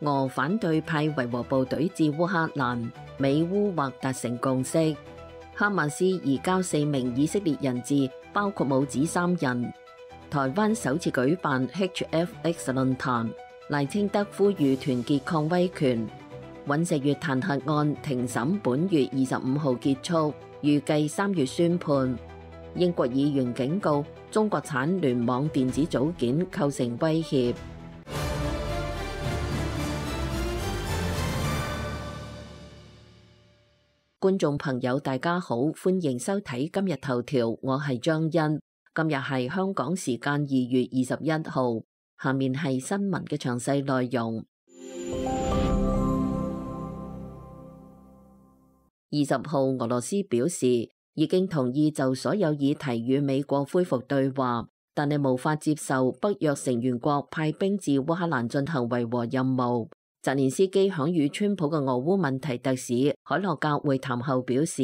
俄反對派維和部隊至烏克蘭，美烏或達成共識。哈馬斯移交4名以色列人質，包括母子3人。台灣首次舉辦 HFX 論壇，賴清德呼籲團結抗威權。尹錫悅彈劾案庭審本月25號結束，預計3月宣判。英國議員警告中國產聯網電子組件構成威脅。觀眾朋友大家好，歡迎收睇今日頭條，我係張欣。今日係香港時間2月21號，下面係新聞嘅詳細內容。20號，俄羅斯表示已經同意就所有議題與美國恢復對話，但係無法接受北約成員國派兵至烏克蘭進行維和任務。澤連斯基響與川普嘅俄烏問題特使海洛格會談後表示，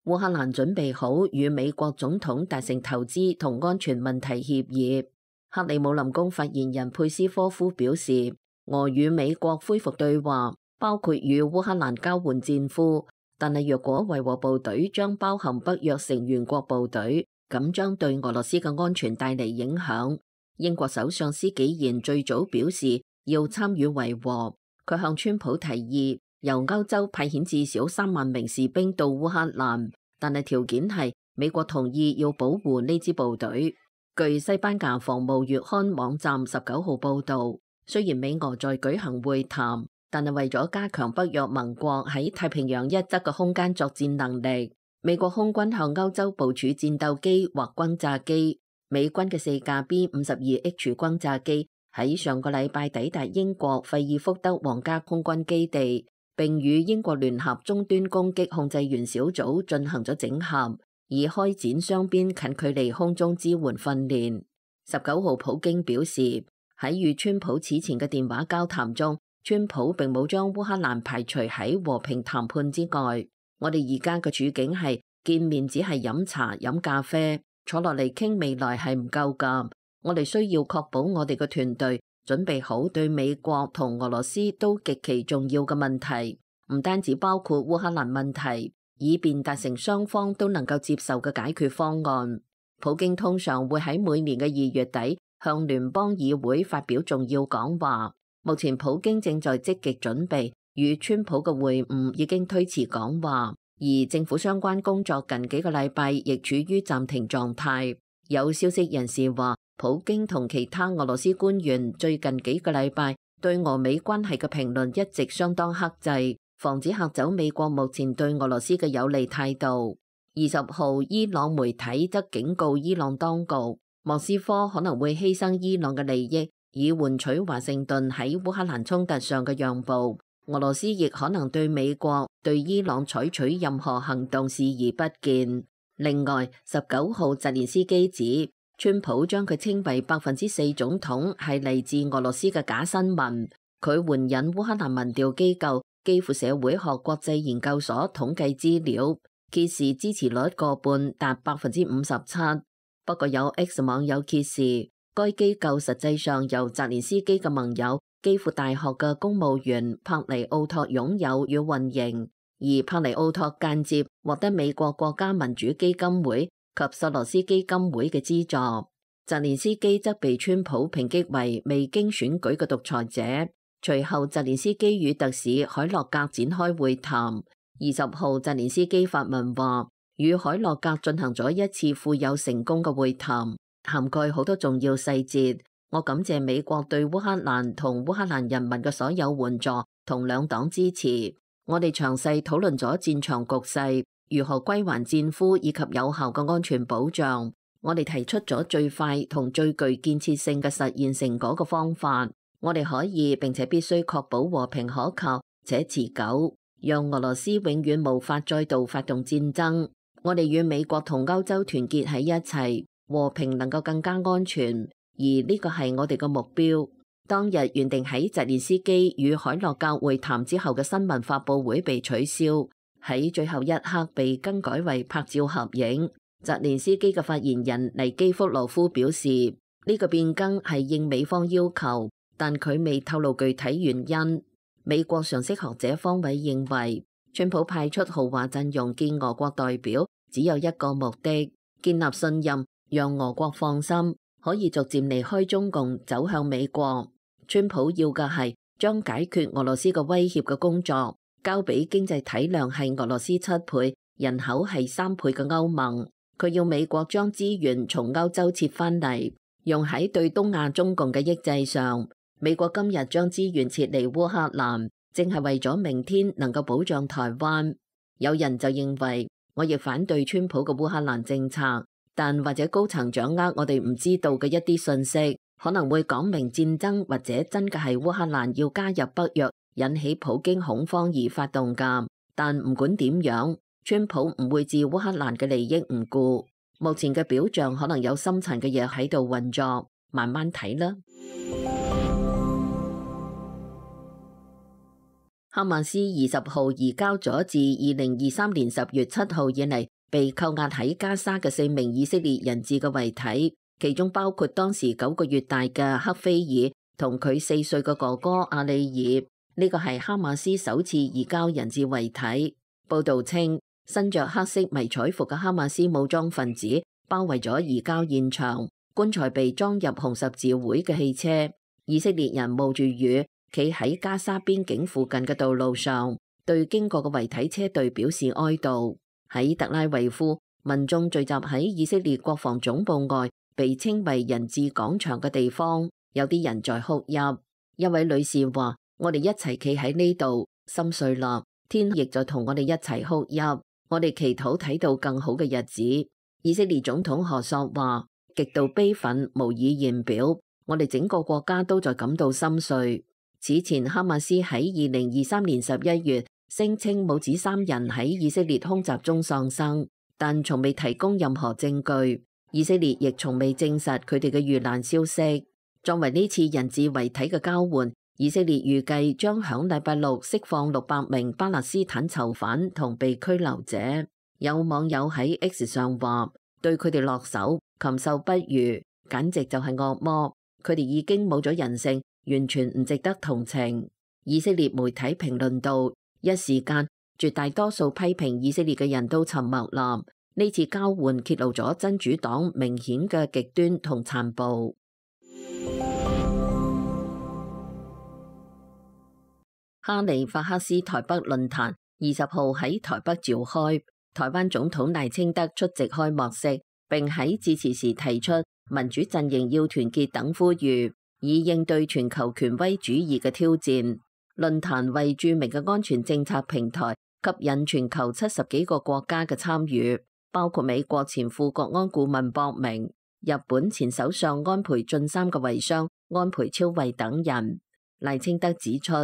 烏克蘭準備好與美國總統達成投資同安全問題協議。克里姆林宮發言人佩斯科夫表示，俄與美國恢復對話，包括與烏克蘭交換戰俘，但係若果維和部隊將包含北約成員國部隊，咁將對俄羅斯嘅安全帶嚟影響。英國首相施紀賢最早表示要參與維和，佢向川普提議由歐洲派遣至少3萬名士兵到烏克蘭，但係條件係美國同意要保護呢支部隊。據西班牙防務月刊網站19號報導，雖然美俄在舉行會談，但係為咗加強北約盟國喺太平洋一側嘅空間作戰能力，美國空軍向歐洲部署戰鬥機或轟炸機。美軍嘅4架 B-52H 轟炸機喺上個禮拜抵達英國費爾福德皇家空軍基地，並與英國聯合終端攻擊控制員小組進行咗整合，以開展雙邊近距離空中支援訓練。19號，普京表示喺與川普此前嘅電話交談中，川普並冇將烏克蘭排除喺和平談判之外。我哋而家嘅處境係見面只係飲茶飲咖啡，坐落嚟傾未來係唔夠㗎。我哋需要確保我哋嘅團隊準備好對美國同俄羅斯都極其重要嘅問題，唔單止包括烏克蘭問題，以便達成雙方都能夠接受嘅解決方案。普京通常會喺每年嘅2月底向聯邦議會發表重要講話。目前普京正在積極準備與川普嘅會晤，已經推遲講話，而政府相關工作近幾個禮拜亦處於暫停狀態。有消息人士話，普京同其他俄羅斯官員最近幾個禮拜對俄美關係嘅評論一直相當克制，防止嚇走美國目前對俄羅斯嘅有利態度。20號，伊朗媒體則警告伊朗當局，莫斯科可能會犧牲伊朗嘅利益，以換取華盛頓喺烏克蘭衝突上嘅讓步。俄羅斯亦可能對美國對伊朗採取任何行動視而不見。另外，19號，澤連斯基指川普將佢稱為4%總統係嚟自俄羅斯嘅假新聞。佢援引烏克蘭民調機構基輔社會學國際研究所統計資料，揭示支持率過半達57%。不過有 X 網友揭示，該機構實際上由澤連斯基嘅盟友基輔大學嘅公務員帕尼奧托擁有與運營，而帕尼奧托間接獲得美國國家民主基金會及索羅斯基金會嘅資助。澤連斯基則被川普抨擊為未經選舉嘅獨裁者。隨後，澤連斯基與特使海洛格展開會談。20號，澤連斯基發文話，與海洛格進行咗一次富有成功嘅會談，涵蓋好多重要細節。我感謝美國對烏克蘭同烏克蘭人民嘅所有援助同兩黨支持。我哋詳細討論咗戰場局勢，如何歸還戰俘以及有效嘅安全保障。我哋提出咗最快同最具建設性嘅實現成果嘅方法。我哋可以並且必須確保和平可靠且持久，讓俄羅斯永遠無法再度發動戰爭。我哋與美國同歐洲團結喺一齊，和平能夠更加安全。而呢個係我哋嘅目標。當日原定喺澤連斯基與海洛格會談之後嘅新聞發佈會被取消，喺最後一刻被更改為拍照合影。澤連斯基嘅發言人尼基福羅夫表示，呢個變更係應美方要求，但佢未透露具體原因。美國常識學者方偉認為，川普派出豪華陣容見俄國代表，只有一個目的：建立信任，讓俄國放心，可以逐漸離開中共，走向美國。川普要嘅係將解決俄羅斯嘅威脅嘅工作交俾經濟體量係俄羅斯7倍、人口係3倍嘅歐盟。佢要美國將資源從歐洲撤返嚟，用喺對東亞中共嘅抑制上。美國今日將資源撤離烏克蘭，正係為咗明天能夠保障台灣。有人就認為，我亦反對川普嘅烏克蘭政策，但或者高層掌握我哋唔知道嘅一啲信息，可能會講明戰爭或者真嘅係烏克蘭要加入北約，引起普京恐慌而發動㗎。但唔管點樣，川普唔會置烏克蘭嘅利益唔顧。目前嘅表象可能有深層嘅嘢喺度運作，慢慢睇啦。哈馬斯20號移交咗自2023年10月7號以嚟被扣押喺加沙嘅4名以色列人質嘅遺體，其中包括當時9個月大嘅克菲爾同佢4歲嘅哥哥阿里爾。呢個係哈馬斯首次移交人質遺體。報道稱，身着黑色迷彩服嘅哈馬斯武裝分子包圍咗移交現場，棺材被裝入紅十字會嘅汽車。以色列人冒住雨，企喺加沙邊境附近嘅道路上，對經過嘅遺體車隊表示哀悼。喺特拉維夫，民眾聚集喺以色列國防總部外，被稱為人質廣場嘅地方，有啲人在哭泣。一位女士話：我哋一齊企喺呢度，心碎啦，天亦在同我哋一齊哭泣。我哋祈禱睇到更好嘅日子。以色列總統何索話：極度悲憤，無以言表。我哋整個國家都在感到心碎。此前，哈馬斯喺2023年11月聲稱母子3人喺以色列空襲中喪生，但從未提供任何證據。以色列亦從未證實佢哋嘅遇難消息。作為呢次人質遺體嘅交換，以色列預計將響禮拜六釋放600名巴勒斯坦囚犯同被拘留者。有網友喺 X 上話：對佢哋落手，禽獸不如，簡直就係惡魔。佢哋已經冇咗人性，完全唔值得同情。以色列媒體評論道：一時間，絕大多數批評以色列嘅人都沉默啦。呢次交換揭露咗真主黨明顯嘅極端同殘暴。哈利法克斯台北論壇20號喺台北召開，台灣總統賴清德出席開幕式，並喺致辭時提出民主陣營要團結等呼籲，以應對全球權威主義嘅挑戰。論壇為著名嘅安全政策平台，吸引全球70幾個國家嘅參與，包括美國前副國安顧問博明、日本前首相安倍晉三嘅遺孀安倍昭惠等人。賴清德指出，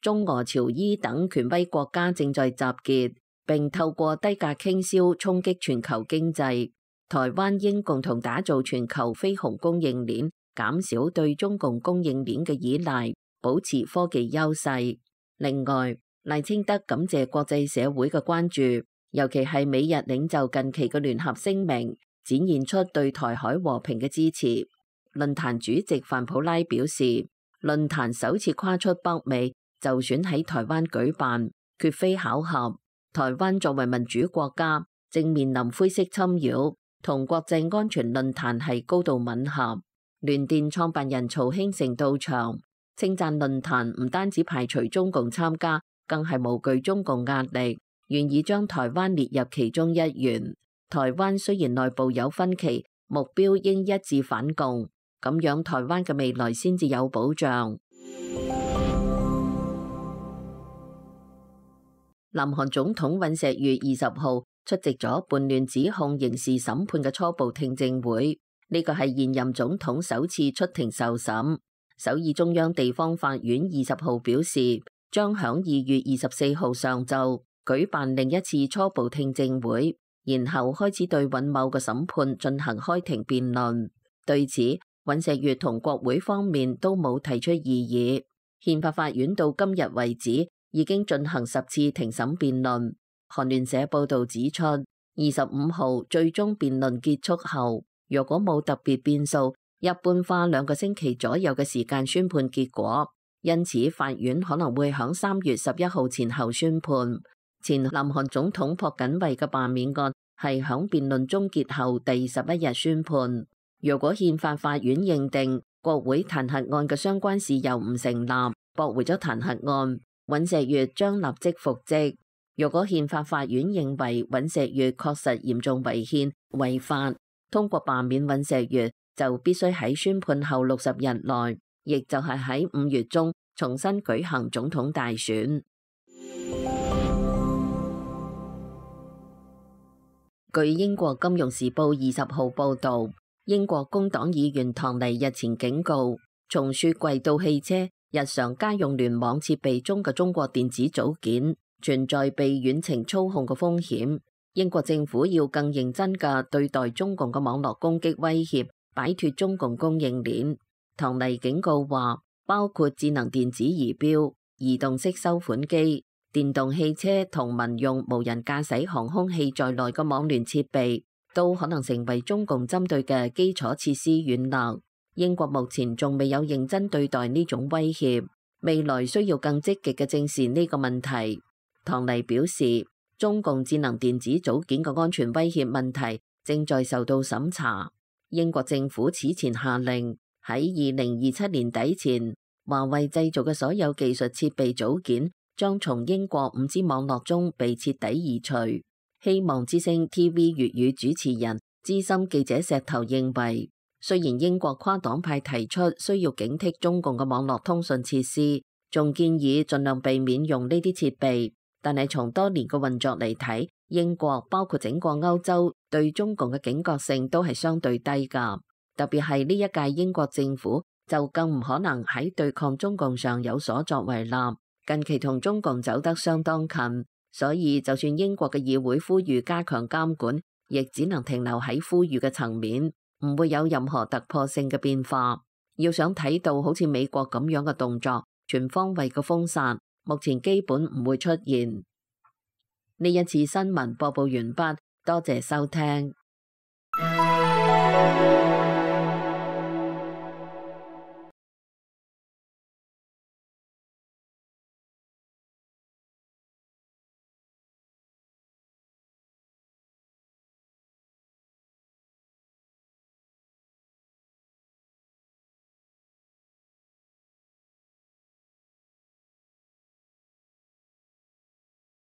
中俄朝伊等權威國家正在集結，並透過低價傾銷衝擊全球經濟。台灣應共同打造全球非鴻供應鏈，減少對中共供應鏈嘅依賴，保持科技優勢。另外，賴清德感謝國際社會嘅關注，尤其係美日領袖近期嘅聯合聲明，展現出對台海和平嘅支持。論壇主席范普拉表示，論壇首次跨出北美，就選喺台灣舉辦，絕非巧合。台灣作為民主國家，正面臨灰色侵擾，同國際安全論壇係高度吻合。聯電創辦人曹興誠到場，稱讚論壇唔單止排除中共參加，更係無懼中共壓力，願意將台灣列入其中一員。台灣雖然內部有分歧，目標應一致反共，咁樣台灣嘅未來先至有保障。南韓總統尹錫悅20號出席咗叛亂指控刑事審判嘅初步聽證會，呢個係現任總統首次出庭受審。首爾中央地方法院20號表示，將響2月24號上晝舉辦另一次初步聽證會，然後開始對尹某嘅審判進行開庭辯論。對此，尹錫悅同國會方面都冇提出異議。憲法法院到今日為止已經進行10次庭審辯論。韓聯社報導指出，25號最終辯論結束後，若果冇特別變數，一般花2個星期左右嘅時間宣判結果。因此法院可能會喺3月11號前後宣判。前南韓總統朴槿惠嘅罷免案係喺辯論終結後第11日宣判。如果憲法法院認定國會彈劾案嘅相關事由唔成立，駁回咗彈劾案，尹錫悅將立即復職。如果憲法法院認為尹錫悅確實嚴重違憲違法，通過罷免尹錫悅就必須喺宣判後60日內，亦就係喺5月中重新舉行總統大選。據英國金融時報20號報導，英國工黨議員唐尼日前警告，從雪櫃到汽車、日常家用聯網設備中嘅中國電子組件存在被遠程操控嘅風險。英國政府要更認真嘅對待中共嘅網絡攻擊威脅，擺脫中共供應鏈。唐尼警告話，包括智能電子儀錶、移動式收款機、電動汽車同民用無人駕駛航空器在內嘅網聯設備都可能成為中共針對嘅基礎設施軟肋。英國目前仲未有認真對待呢種威脅，未來需要更積極嘅正視呢個問題。唐尼表示，中共智能電子組件嘅安全威脅問題正在受到審查。英國政府此前下令喺2027年底前，華為製造嘅所有技術設備組件將從英國5G網絡中被徹底移除。希望之聲 TV 粵語主持人資深記者石頭認為，雖然英國跨黨派提出需要警惕中共嘅網絡通訊設施，仲建議盡量避免用呢啲設備，但係從多年嘅運作嚟睇，英國包括整個歐洲對中共嘅警覺性都係相對低㗎。特別係呢一屆英國政府就更唔可能喺對抗中共上有所作為啦。近期同中共走得相當近，所以就算英國嘅議會呼籲加強監管，亦只能停留喺呼籲嘅層面，唔會有任何突破性嘅變化。要想睇到好似美國咁樣嘅動作，全方位嘅封殺，目前基本唔會出現。呢一次新聞播報完畢，多謝收聽。